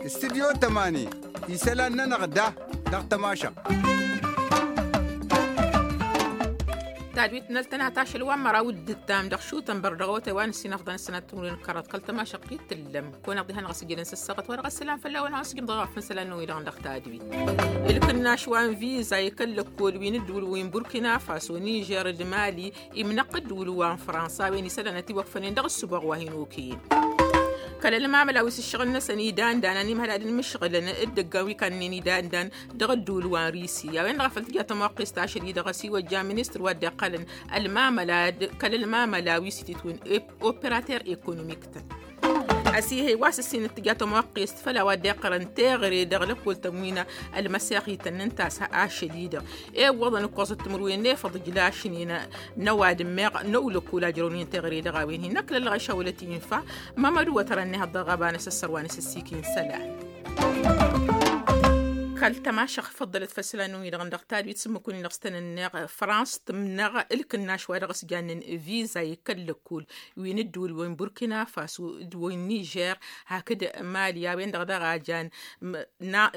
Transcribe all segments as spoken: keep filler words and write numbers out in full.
Studyo tămani isălan-nănăɣ da dăɣ-tămašăɣt. Tadwit n-ăltănat ašăl wa n-măraw d-ǝttam dăɣ-šutănbăr dăɣ-otay wa n-ǝssin afḍăn ăssanat timǝrwen n-kăraḍ kăl-tămašăɣt i-tǝllăm. Kăwăn-aɣ diha-năɣ a-s ǝjjădăn s-ăssaɣăt wa dăɣ-ăssălam făll-a-wen a-s ǝjǝm dăɣ-ɣafăn isălan-năwăn-i-dăɣ dăɣ-tadwit. Ǝlkǝnnaš wa n-viza i-kăl-lăkkol wi n-ǝddǝwǝl wi n-burkina faso nižer d-mali imnăɣ dd-wǝlǝw wa n-fransa a-wen isălan ătiwăkfănen dăɣ-ǝssǝboɣ wa hin-okăyăn. Kăl-ălmamăla wi s-ǝššăɣǝl-năsăn idandan ănimhăl ad-ǝnmǝšɣǝlăn dd-ăggan wi kannăyăn idandan dăɣ-ădduul wa n-risi a-wen-dăɣ a făl tǝja tămoqqest ašăl-i-dăɣ ăsiwăjja ministăr wa dd-iqqălăn ălmamăla kăl-ălmamăla wi s-ititwǝn operater ekonomik-tăn. Ăsihăy wa s-ǝssin d-tǝja tămoqqest făll-a-wa dd-iqqărăn teɣăre dăɣ-lăkkol-tăn wi n-ălmăseɣ ităn n-tasha ašăl-i-dăɣ. Iwwăḍăn ǝkkoẓăt timǝrwen n-efăḍ ǝjlašnen n-ăwadǝm meɣ n-ăwlăkkol a jărăwnen teɣăre dăɣ-a-wen hin-năkk lăllăɣ išawălăt infa. Mămădu wătărăn nehăḍ dăɣ-ɣabanăs ăssărwanăs ăssikin isălan. Kăl-tămašăɣt făḍḍălăt făll-isălan-năwăn-i-dăɣ n-dăɣ tadwit s-ǝmmǝk-win-dăɣ s-tăn-ănneɣ frans tǝmnăɣ ǝlkǝnnaš wa dăɣ-s jannen viza i-kăl-lăkkul wi n-ǝddǝwǝl wa n-burkina faso d-wa n-nižer hakd mali a-wen-dăɣ daɣ a jan.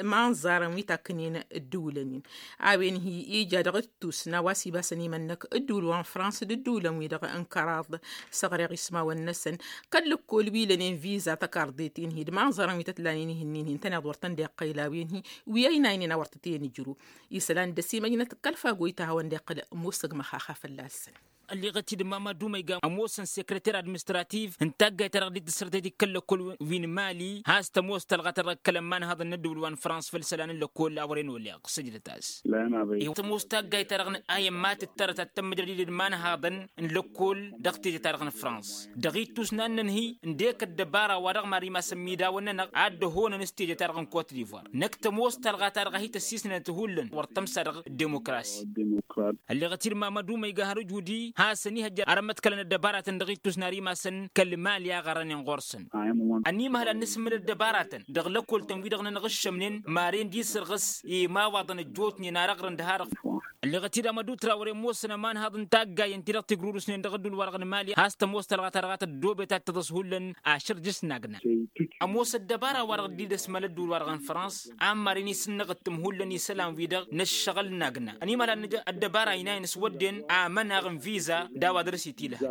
Imanẓarăn wi takkǝnen ǝddǝwǝlăn-in a-wen hi-ija dăɣ-ǝttus n-a-wa s-ibasăn imănnăk ǝddǝwǝl wa n-frans d-ǝddǝwǝlăn-wi-dăɣ n-kăraḍ. Săɣreɣ ismawăn-năsăn kăl-lăkkol wi lănen viza tăkarḍet-in-hi d-imanẓarăn wi tăt-lanen ihǝnnin-hi ǝntăneḍ wăr tăn-dd-iqqăyla a-wen-hi wi ăynaynen a wăr tăt-e-nǝjrǝw. Isălan d-ăsimăjnăt kăl-fagoy ta hawăn-dd-iqqăl ămoosăg măxaxa fălla-săn. Ălleɣăt-dd mamadu ma iga ămoosăn sekreter administrativ n-taggayt-ta-dăɣ dd-tǝssărtăyt d-kăl-lăkkol wi n-mali has-tămoos talɣa-ta-dăɣ kăl-ămmanhaḍăn n-ăddăwǝl wa n-frans făll-isălan n-lăkkol a wărăn oleɣ săjdăt-as. Tămoos taggayt-ta-dăɣ n-ayǝmmat d-tărăt ad-tămmǝjrăd-dd imanhaḍăn n-lăkkol dăɣ-teje-ta-dăɣ n-frans dăɣ-ittus n-ad-nǝnhǝy ǝndek ăddăbara wa dăɣ-mari masăn imidawăn-nănăɣ ad-dd-ăhonăn s-teje-ta-dăɣ n-kot divoir năkk tămoos talɣa-ta-dăɣ a hi-tăssisnăt hullan wăr tămsa dăɣ-demokrasi. Ălleɣăt-dd mamadu ma iga har ǝjudi hasăn-ihăjja arămăt kălăn ăddăbaratăn dăɣ-ittus n-ar imasăn kăl-mali a ɣărănen ɣur-săn. Ănimăhăl ad-nǝsǝmmǝl ăddăbaratăn dăɣ-lăkkol-tăn-wi-dăɣ nănăɣ-ǝššămnen maren d-isărɣǝs imawaḍăn ăjjootnen arăɣrăn d-harăɣ. Ălleɣăt-dd amădu trawăre ămoosăn ămanhaḍ n-taggayen-ti-dăɣ tigrurǝsnen dăɣ-ădduul-wa-dăɣ n-mali has-tămoos talɣa-ta-dăɣ a tăddoobet ad-tăḍăs hullan ašăr jăš n-agna. Ămoos ăddăbara-wa-dăɣ dd-idăsmăl ădduul-wa-dăɣ n-frans a n-maren isǝnnăɣ ǝttǝm hullan isălan-wi-dăɣ n-ǝššăɣǝl n-agna ănimăhăl ad-nǝj ăddăbara ăynayăn s-wădden amănaɣ n-viza d-a-wa dăr-s itilăhăn.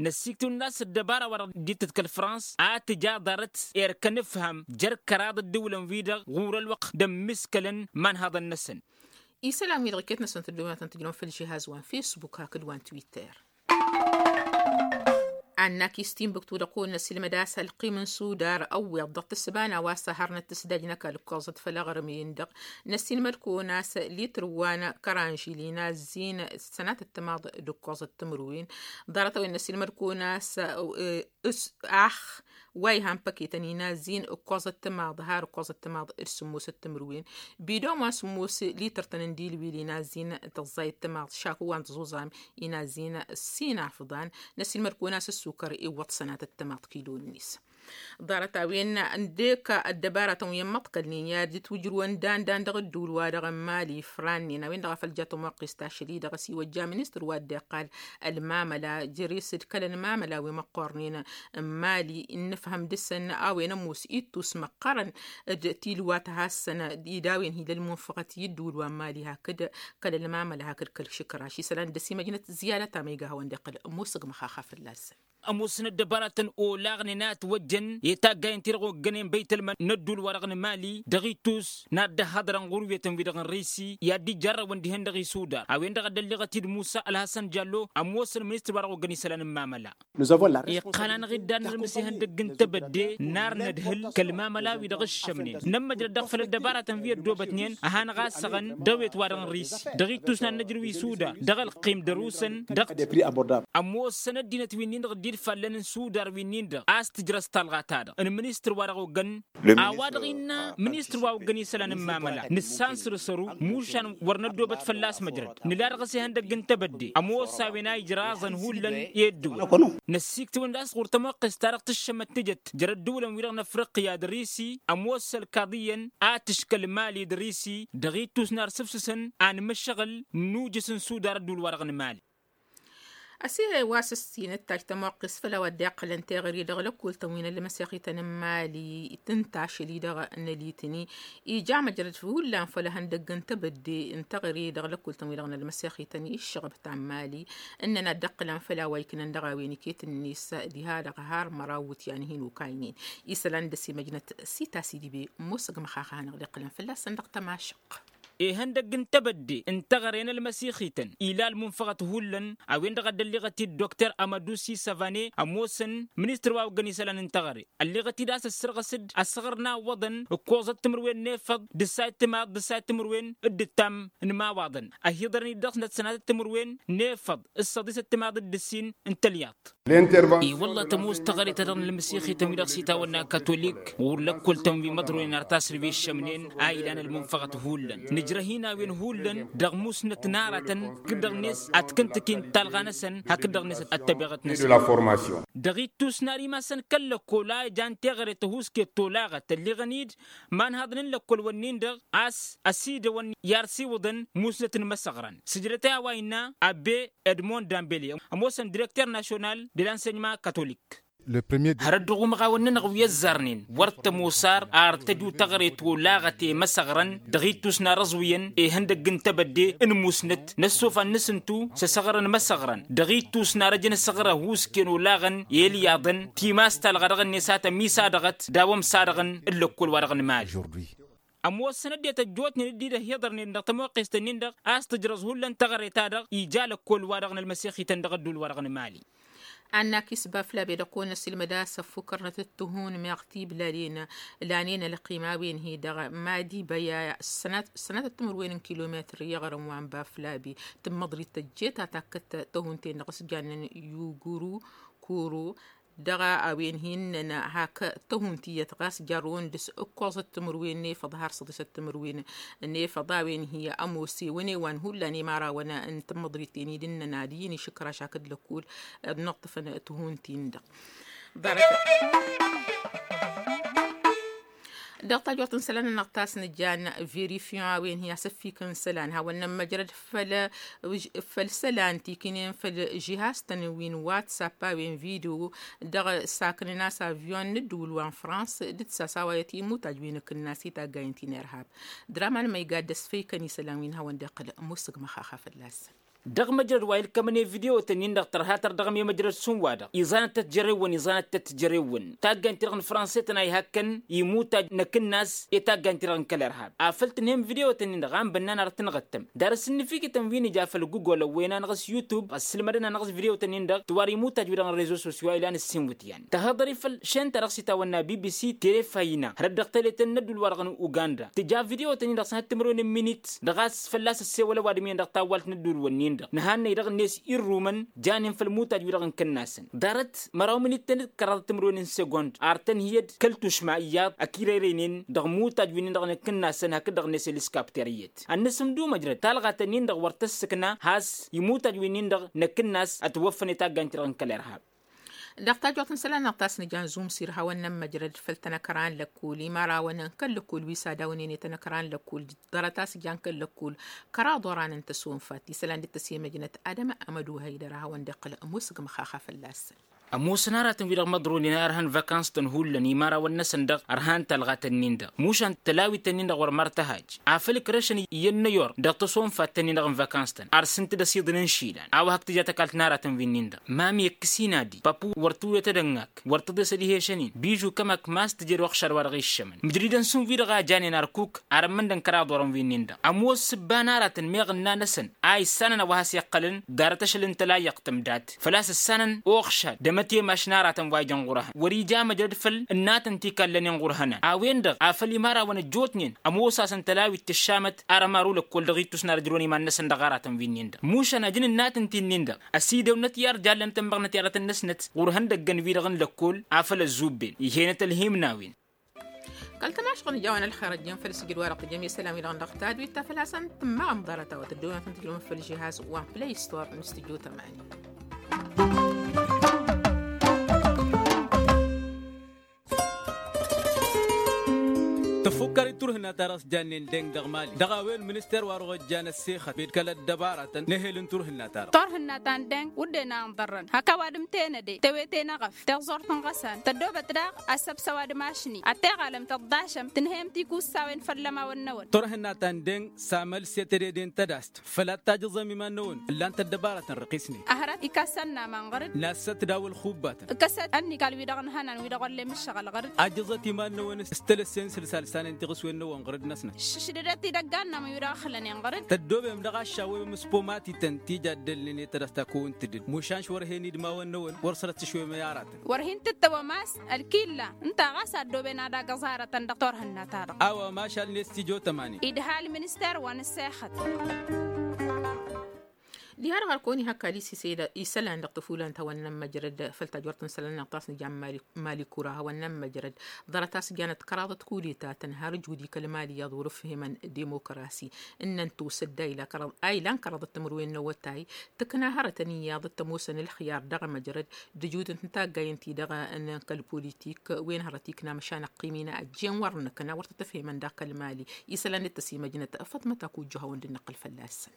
Năssiktǝwăn d-a-s ăddăbara-wa-dăɣ dd-tǝtkăl frans ad-tǝja ḍarăt erk ănǝfham jer-kăraḍ ǝddǝwǝlăn-wi-dăɣ ɣur-ălwăqq d-ămmiskălăn imanhaḍăn-năsăn. Isălan-wi-dăɣ iket-năsăn tǝddǝwǝnăt n-tǝjnăwăn făll-žihaz wa n-fesbuk hakd wa n-twitter. Annak-i s-tinbǝktu-dăɣ kăwăn-năsilmăd a-s ălqim n-sudar ăwweḍ dăɣ-tǝssǝba n-a-wa s-ăharnăt tǝsdaj n-ăkall ǝkkoẓăt făll-aɣrǝm-in-dăɣ. Năssinmăd kăwăn-as litr wa n-kăranžil inazzin sănatăt timaḍ d-ǝkkoẓăt timǝrwen. Ḍarăt-a-wen năssinmăd kăwăn-as ax wa ihan păketăn inazzin ǝkkoẓăt timaḍ har ǝkkoẓăt timaḍ d-sǝmmosăt timǝrwen. Bidon wa n-sǝmmos litr-tăn n-dilwil inazzin tăẓẓayăt timaḍ šaku wa n-tăẓuẓam inazzin ǝssin afḍan. Năssinmăd kăwăn-as ǝssukăr iwwăḍ sănatăt timaḍ kilo-net. Ḍarăt-a-wen ǝndek ăddăbaratăn wi ămmăḍkălnen i-ad-dd-twǝjrǝwăn dan-dan dăɣ-ădduul-wa-dăɣ n-mali frannen a-wen-dăɣ a făl ja tămoqqest ašăl-i-dăɣ ăsiwăjja ministăr wa dd-iqqal ălmamăla jere-s d-kăl-ălmamăla wi măqqornen n-mali n-nǝfhăm dăɣ-săn a-wen ămoos ittus măqqărăn d-tilwa tăhassăn d-idawen hi-lălmunfăɣăt i-ădduul wa n-mali hakd kăl-ălmamăla hakd kăl-išǝkraš isălan dd-ăsimăjnăt ziyadăt a ma iga hawăn-dd-iqqăl ămoosăg măxaxa fălla-săn. Ămoosăn ăddăbaratăn olaɣnen a ătwăjjăn i-taggayen-ti-dăɣ oggănen băytălman n-ădduul-wa-dăɣ n-mali dăɣ-ittus n-ad-dd-ăhhăḍrăn ɣur-wetăn-wi-dăɣ n-risi i-ad-dd-ijjarrăwăn dihen dăɣ-isudar a-wen-dăɣ a dd-ălleɣăt-dd musa ălhăsăn jallo. Ămoosăn ministăr-wa-dăɣ oggăn isălan n-imamăla iqqăl-anăɣ-dd ad-nărmǝs ihăndăgg n-tebădde n-ar nǝdhǝl kăl-imamăla-wi-dăɣ ǝššămnen nămmăjrăd dăɣ-făll-ăddăbaratăn wi ăddoobătnen. Ăhanăɣ-assăɣăn dăɣ-wet-wa-dăɣ n-risi dăɣ-ittus n-ad-năjrǝw isudar dăɣ-ălqim d-ărusăn dăɣ-t ămoosăn ăddinăt wi-nin-dăɣ dd-ilfallăn n-sudar wi-nin-dăɣ a-s tǝjrăs talɣa-ta-dăɣ n-ministăr wa dăɣ-oggăn. A-wa-dăɣ innă ministăr wa oggăn isălan n-mamăla nǝssan săr-săru mušan wăr năddoobăt fălla-s măjrăd nǝla dăɣ-s ihăndăgg n-tebădde ămoos a-wen a ijraẓăn hullan i-ăddǝwǝl. Năssiiktǝwăn d-a-s ɣur-tămoqqest-ta-dăɣ tǝššămăt tǝjăt jer-ăddǝwǝlăn-wi-dăɣ n-afriqya d-risi ămoos ălkaḍ iyyăn a tǝškăl mali d-risi dăɣ-ittus n-ar sǝfsǝsăn anmǝššăɣǝl n-ujǝs n-sudar ăddǝwǝl-wa-dăɣ n-mali. Ăsiilăy wa s-ǝssin ǝttaj tămoqqes făll-a-wa dd-iqqălăn teɣăre dăɣ-lăkkol-tăn wi n-ălmăsexităn n-imali tǝnta ašăl-i-dăɣ n-ălitǝni. Ija măjrăd hullan făll-ehăndăgg n-tebădde n-teɣăre dăɣ-lăkkol-tăn wi-dăɣ n-ălmăsexităn i-ǝššăɣăb ta n-imali ǝnnăn ad-dd-iqqălăn făll-a-wa iknan dăɣ-a-wen iket-net diha-dăɣ har măraw iwǝtyan hin-okaynen. Isălan dăr-s imăjnăt sita s-idibe ămoosăg măxaxa hanăɣ-dd-iqqălăn fălla-săn dăɣ-tămašăqq. Ihăndăgg n-tebădde n-teɣăre n-ălmăsixităn ila ălmunfăɣăt hullan a-wen-dăɣ a dd-ălliɣăt-dd dokter amădusi săvane ămoosăn ministăr wa oggăn isălan n-teɣăre. Ălliɣăt-dd a-s ăssărɣăs-dd ăsɣăr n-a ǝwwăḍăn ǝkkoẓăt timǝrwen n-efăḍ d-ǝssayăt timaḍ d-ǝssayăt timǝrwen d-ǝttam n-imawaḍăn ăhiḍărăn-dd dăɣ-snăt sănatăt timǝrwen n-efăḍ d-săḍisăt timaḍ d-ǝssin n-tălyaḍt. I-wălla tămoos teɣăre-ta-dăɣ n-ălmăsixităn wi-dăɣ s-itawănna kătolik ɣur-lăkkol-tăn wi măḍronen ar tasrǝbe ǝššămnen a ilan ălmunfăɣăt hullan nǝjrăh-in a-wen hullan dăɣ-musnăt n-aratăn hakd-dăɣ-net ad-t-kǝntǝk-in talɣa-năsăn hakd-dăɣ-net ăttăbeɣăt-năsăn. Dăɣ-ittus n-ar imasăn kăl-lăkkol a ijan teɣăre tăhuusket tolaɣăt ălliɣăn-dd imanhaḍăn n-lăkkol-wǝnnin-dăɣ a-s ăsidăwăn i-arsiwǝḍăn musnăt n-imăsăɣrăn sǝjdăt a-wa innă abbe edmond dambeli ămoosăn direkter national de l-ansenyement kătolik. Hărăt dăɣ-umăɣawăn-nănăɣ wi ăzzarnen wăr tămoos ar ar tăju teɣăre tolaɣăt i-imăsăɣrăn dăɣ-ittus n-arăẓwǝyăn ihăndăgg n-tebădde n-musnăt n-ăssofan n-asǝntu s-asăɣrăn imăsăɣrăn dăɣ-ittus n-arăj n-asăɣr ăhuusken olaɣăn i-ilyaḍăn timas talɣa dăɣ-net a tămisadăɣăt d-a-wa ămsadăɣăn n-lăkkol-wa-dăɣ n-imali. Ămoosăn ăddinăt ăjjootnen dd-dd-ăhiḍărnen dăɣ-tămoqqest-ǝnnin-dăɣ a-s tǝjrăẓ hullan teɣăre-ta-dăɣ ija lăkkol-wa-dăɣ n-ălmăsixităn dăɣ-ăddul-wa-dăɣ n-imali. Annak isbaflabe dăɣ-kăwăn-ăsilmăd a-s ăffukkărnăt d-tihun meɣ tiblalen lanen ălqim a-wen hi-dăɣ madi băya sănatăt timǝrwen n-kilometăr i-iɣrǝm wa n-baflabe. Tǝmmăḍrit tăjjet a takkăt tăhun-ten-dăɣ s-jannen yuguru kuru dăɣ-a-wen hin-nănăɣ hak tăhun tiyyăt ɣas jarrăwăn dăɣ-s ǝkkoẓăt timǝrwen n-efăḍ har săḍisăt timǝrwen n-efăḍ a-wen hi-ămoos ewăn ewan hullan i-imărawăn n-tǝmmăḍrit-ten-i d-ǝnnăn ad-iyyăn išǝkraš hakd lăkkul ad-nǝṭṭǝfăn tihun-tin-dăɣ. Ḍarăt dăɣ-tajurt n-isălan-nănăɣ ta s-nǝjjan verifion a-wen hi-asǝffikăn isălan hawăn-nămmăjrăd făll-isălan ti kǝynen făll-žihaz-tăn wi n-whatsapp a-wen video dăɣ-saknăn a-s avion n-ǝddǝwǝl wa n-frans d-ǝttas a-wa i-timutaj wi n-akǝnnas i-taggayen ti n-irhab. Draman ma igadda s-făykăn isălan wi n-hawăn-dd-iqqǝl musǝg măxaxa fălla-săn. Dăɣ-măjrăd wa ilkămăn i-video-tăn-in-dăɣ tărha-tăr dăɣ-mimăjrăd s-unwa-dăɣ iẓanăt-tăt jere-wăn iẓanăt-tăt jere-wăn taggayen-ti-dăɣ n-fransetăn a ihakkăn imutaj n-akǝnnas i-taggayen-ti-dăɣ n-kăl-irhab afăl tǝnhǝyăm video-tăn-in-dăɣ a n-bănnan ar tǝnɣăttăm. Dar s-ǝnnǝfikǝtăn wi n-ija făll-gugol ăwwăyăn-anăɣ s-yutub ăssǝlmădăn-anăɣ s-video-tăn-in-dăɣ tiwar imutaj-wi-dăɣ n-rezo sosyo a ilan ǝssin iwǝtyan. Tăhăḍări făll-šen-ta-dăɣ s-itawănna bbc terefayna hărăt dăɣ-tele ta n-ăddul-wa-dăɣ n-uganda tǝja video-tăn-in-dăɣ s-ad-timǝrwen n-minit dăɣ-a-s fălla-s ăssewăl ăwadǝm-iyyăn dăɣ-tawwalt n-ăddul-wǝnnin-dăɣ nǝhannăy dăɣ-net irrumăn janen făll-imutaj-wi-dăɣ n-kănn-asăn. Ḍarăt măraw minit-tăn d-kăraḍăt timǝrwen n-segond ar tăn-hi-ăd kăl-tušma iyyăḍ ăkirerăynen dăɣ-imutaj-wi-nin-dăɣ n-akǝnnas-tăn hakd dăɣ-net ăliskapter iyyăt. Ad-nǝsǝmdumăj dăɣ-talɣa-tăn-in-dăɣ wăr tăssǝkna has-imutaj-wi-nin-dăɣ n-akǝnnas ătwăffăn i-taggayen-ti-dăɣ n-kăl-irhab. Dăɣ-tajurt n-isălan-nănăɣ ta s-nǝjan zumsir hawăn-nămmăjrăd făll-tanăkra n-lăkkul i-imărawăn n-kăl-lăkkul wi s-ad-awǝnen i-tanăkra n-lăkkul ḍarăt a-s jan kăl-lăkkul kăraḍ oran n-tăsonfat isălan dd-tăsemăjnăt adăma amădu hăydăr a hawăn-dd-iqqǝl musǝg măxaxa fălla-săn. Ămoosăn aratăn-wi-dăɣ măḍronen a ărhăn vakans-tăn hullan i-imărawăn-năsăn dăɣ-ărhan talɣa-tăn-in-dăɣ mušan tălawit-tăn-in-dăɣ wăr măr tăhaj afăl ǝkrăšăn iyyăn n-ăyor dăɣ-tăsonfat-tăn-in-dăɣ n-vakans-tăn ar s-ǝnta d-ăsiḍǝn n-išilan a-wa hak tǝja tăkalt n-aratăn wi-nin-dăɣ mami ăkkăs-in adi papu wăr tǝwǝyăt ad-ănnăk wăr tǝḍes ad-ihešăn-in bižu kămak ma s-tǝjed oxšad wa dăɣ-iššămăn mǝjridăn šund wi-dăɣ a janen ărkuk ar ămmăn d-ănkăraḍ orăn wi-nin-dăɣ ămoos s-ǝbba n-aratăn meɣ ǝnna-năsăn a issanăn a-wa has-iqqălăn ḍarăt ašăl n-tălayyăɣt tǝmdat făl-a-s ǝssanăn oxšad d-amătemăš n-aratăn wa ija n-ɣur-ehăn wăr-ija măjrăd făll-n natăn ti kallănen ɣur-ehănan a-wen-dăɣ afăl imărawăn ăjjootnen ămoos-asăn tălawit tǝššamăt arămaru lăkkol dăɣ-ittus n-ad-ǝjrǝwăn iman-năsăn dăɣ-aratăn wi-nin-dăɣ mušan ajăn n-natăn ti-nin-dăɣ ăsidăwnăt i-ar jallăn tămmăɣnăt i-aratăn-năsnăt ɣur-ihăndăggăn-wi-dăɣ n-lăkkol afăl ăzzubben ih'-enăt ălhimnawen. Kăl-tamašɣăn ǝjawăn ălxer ăjjeen făll-sǝjǝd wa-dăɣ tǝjăm i-isălan-wi-dăɣ n-dăɣ tadwit ta făl-a-s ăntămmaɣăm ḍarăt-a-wa tăddowen ad-tăn-tǝjrǝwăm făll-žihaz wa n-play store n-studio tămani. Tăfukkăr-i turhǝna. Tarăs jannen deng dăɣ-mali dăɣ-a-wen minister wa dăɣ-ojjan ăssexăt bed kăl-ăddăbaratăn n-ehel n-turhǝnna-ta-dăɣ. Turhǝnna ta n-deng wǝdden a ǝnḍărrăn hăkk ăwadǝm tenăde tewete n-eɣăf teẓẓurt n-iɣăsan tăddoobăt daɣ asăbs ăwadǝm ašni ad-teɣalăm tăḍḍašăm tǝnhăyăm tikussawen făll-ămawăn-năwăn. Turhǝnna ta n-deng s-amăl s-e-tedede n-tădast făl ad-tajǝẓăm iman-năwăn ǝllan-t ăddăbarătăn răqisnen. Ăhrăt ikassan n-aman ɣăr-dd. Nassăt daw-ălxubbatăn. Ǝkkăsăt ănnikal-wi-dăɣ ǝnhănan wi-dăɣ wăllen mǝššăɣăl ɣăr-dd. Ajjăẓăt iman-năwăn s-tălăssen sǝlsal s-anen tiɣǝswen-năwăn ɣăr-dd-năsnăt. Šǝšdădăt idăggan-nămăn wi-dăɣ ăxlănen ɣăr-dd. Tăddoobem dăɣ-aššawem s-pomatităn ti jaddălnen i-tădăsta kăwăn-tǝdǝd mušan šwărhen idmawăn-năwăn wăr sărăt s-išwem i-aratăn. Wăr hin-tǝttăwăm a-s ălkilla ǝnta ɣas a ăddooben ad-agǝẓ aratăn dăɣ-turhǝnna-ta-dăɣ. A-wa mašal n-estijo tămani. Idha ălminister wa n-ăssexăt. Diha-dăɣ ărkăwăn-i hak alisi isălan dăɣ-tăfulan ta wănnăn măjrăd făll-tajwărt n-isălan n-aɣtas n-jan mali kura hawăn-năn măjrăd. Ḍarăt a-s janăt kăraḍăt kulitatăn har ǝjudi kăl-mali iyyăḍ wăr-ǝfhimăn dimokrasi. Ǝnnăn tosădda a ilan kăraḍăt timǝrwen n-awătay tǝkna hărătăn iyyăḍ t-ămoosăn ǝlxiyar dăɣ-măjrăd d-ǝjudǝn n-taggayǝn-ti-dăɣ n-kăl-politik wen hărăt ikna măšan ăqqim-in a ăjjeen wăr nǝkna wăr tăt-ǝfhimăn daɣ kăl-mali. Isălan d-tăsimăjnăt făṭmăt akujju hawăn-dd-năqqǝl fălla-săn.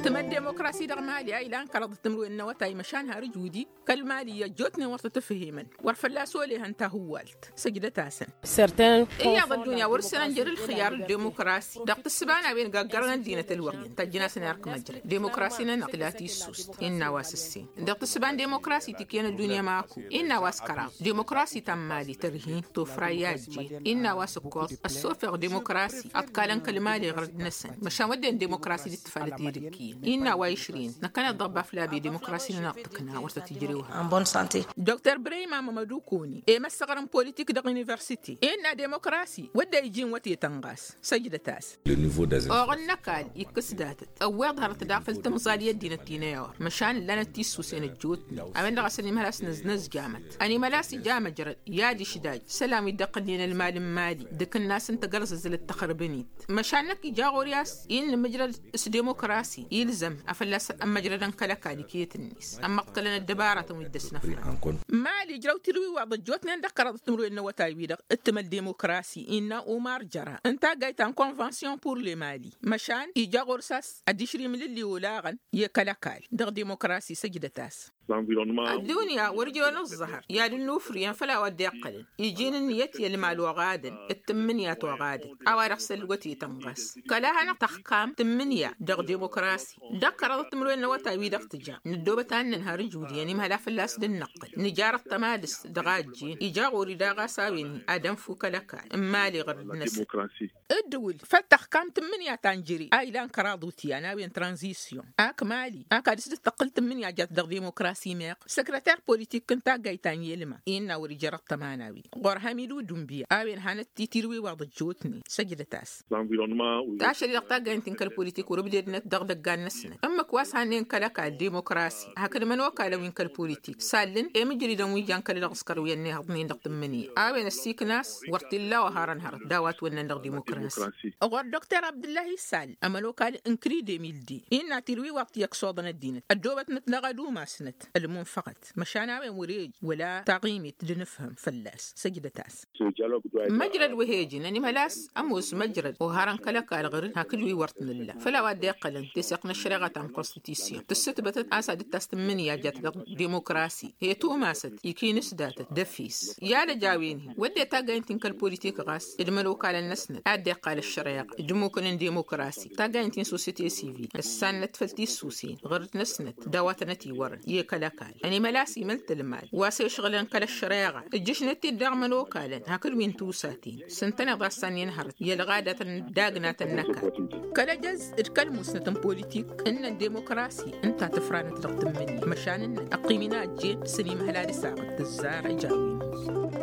Tǝmăl demokrasi dăɣ-mali a ilan kăraḍăt timǝrwen n-awătay măšan har ǝjudi kăl-mali i-ăjjootnen wăr tăt-ǝfhimăn wăr fălla-s olehăn tahǝwwalt. Săjdăt-asăn. Iyyăḍ ăddunya wăr-săn ănjăr ǝlxǝyyar d-demokrasi dăɣ-tǝssǝba n-a-wen gaggărăn ăddinăt ălwăqyăn tăjjăn-asăn erk măjrăd demokrasi-nănăɣ tǝla tissust innă a-wa s-ǝssin dăɣ-tǝssǝba n-demokrasi tikǝyăn ăddunya maku. Innă a-wa s-kăraḍ demokrasi ta n-mali tărhin tofra i-ajjen innă a-wa s-ǝkkoẓ ăssofeɣ demokrasi ăḍkalăn kăl-mali ɣărăd-năsăn măšan wădden demokrasi d-ǝttǝfalăt i-dǝkkǝyăn innă a-wa išrǝyăn năkkăneḍ dăɣ-baflabe demokrasi-nănăɣ tǝkna wăr tăt-ijrew. Hărăt dr brăyma mămădukoni i-măssăɣăr n-politik dăɣ-universite innă demokrasi wădden iji n-wătetăn ɣas. Săjdăt-as. Oɣǝn n-ăkall ikkǝs datăt ăwweḍ hărăt daɣ făll-timẓal i-ăddinăt ti n-ewăr măšan ǝllanăt tissusen ăjjootnen a-wen-dăɣ a-s ănimhăl a-s nǝznăzjamăt ănimhăl a-s ija măjrăd i-ad-išdaj isălan wi dd-iqqǝlnen ălmal n-mali d-akǝnnas n-tagărẓăẓlăt tăxrǝbăn-dd măšan năkk ija ɣur-i a-s innă măjrăd s-demokrasi ilzăm a fălla-s ămmăjrădăn kăl-ăkall iket-net ămmăḍkălăn ăddăbaratăn wi dd-ăsnăfrăn. Mali ǝjrăw tirwiwaḍ ăjjootnen dăɣ-kăraḍăt timǝrwen n-awătay-wi-dăɣ ǝttǝmăl demokrasi innă umar jăra n-taggayt ta n-konvănsyon pur le mali măšan ija ɣur-s a-s ad-išri imlǝlli olaɣăn i-kăl-ăkall dăɣ-demokrasi săjdăt-as. Ăddunya wăr-ija ănǝẓẓăhăr i-ad-ǝnnufrǝyăn făll-a-wa dd-iqqălăn iji n-ǝnniyăt i-ălmal oɣadăn d-tǝmmǝnǝya toɣadăt a-wa-dăɣ s-ălwătetăn ɣas kăla hanăɣ-tăxkam tǝmmǝnǝya dăɣ-demokrasi dăɣ-kăraḍăt timǝrwen n-awătay-wi-dăɣ tǝja nǝddoobăt ad-nǝnhăr ǝjud i-ănimhăl a fălla-s dd-năqqǝl nǝjarăt tămadǝst dăɣ-a ăjjeen ija ɣur-i daɣ a-s a-wen ad-ănfu kăl-ăkall n-imali ɣărăd-năsăn. Ǝddǝwǝl făll-tăxkam tǝmmǝnǝya ta n-jere a ilan kăraḍ utyan a-wen tranzisyon ak mali ak ad-dăr-s dd-tăqqǝl tǝmmǝnǝya jat dăɣ-demokrasi meɣ săkrăter politik n-taggayt ta n-yelma innă wăr-ijărăt tămanawen ɣur-hamidu dunbiya a-wen hanăt-titirwiwaḍ ăjjootnen. Săjdăt-as. Tašăl-i-dăɣ taggayǝn-ti n-kăl-politik wăr-ǝbdednăt dăɣ-idăggan-năsnăt ǝmmǝk wa s-hannăyăn kăl-ăkall demokrasi hakd imănokalăn wi n-kăl-politik sallǝn i-imǝjridăn wi jan kăl-dăɣ s-kărwiyăn n-ehăḍnen dăɣ-tǝmmǝnǝya a-wen ăssiikna a-s wăr t-illa a oharăn hărăt d-a-wa t-wănnăn dăɣ-dimokrasi. Ɣur-dr abdǝllahi sal ămănokal n-kridemilde innă tirwiwaḍ ti ăksoḍăn ăddinăt ăddoobătnăt dăɣ-ad-umasnăt ălmunfăɣăt măšan a-wen wăr-ej wăla taɣimit d-nǝfhǝm fălla-s. Săjdăt-as. Măjrăd wa he-ǝjǝn ănimhăl a-s ămoos măjrăd oharăn kăl-ăkall ɣăr-dd hakd wi wăr t-nǝlla făll-a-wa dd-iqqălăn teseɣt n-ăššăreɣa ta n-konstitusyon tǝssǝtbătăt a-s ad-dd-tas tǝmmǝnǝya jat dăɣ-dimokrasi he-tumasăt ikinǝsdatăt d-efes i-ad-ăj a-wen-hi wădden taggayǝn-ti n-kăl-politik ɣas d-imănokalăn-năsnăt a dd-iqqal ăššăreɣa d-imukǝn n-dimokrasi taggayǝn-ti n-sosyete sivil ǝssannăt făll-tissusen ɣur-dd-năsnăt d-a-wa tănăt-iwărăn i-kăl-ăkall ănimăl a-s imăl tǝlmal wa s-ešɣǝlăn kăl-ăššăreɣa ǝjjǝšnăt-dd dăɣ-imănokalăn hakd wi n-tusaten s-ǝntăneḍ a ăssanǝyăn hărăt i-ălɣadatăn d-agnatăn n-ăkall kăl-ejăz d-kăl-musnăt n-politik ǝnnăn demokrasi ǝnta tǝfranăt dăɣ-tǝmmǝnǝya măšan ǝnnăn ăqqim-in a ăjjeen s-ănimhăl ad-ăsaɣăt tǝzzar ăj a-wen-hi.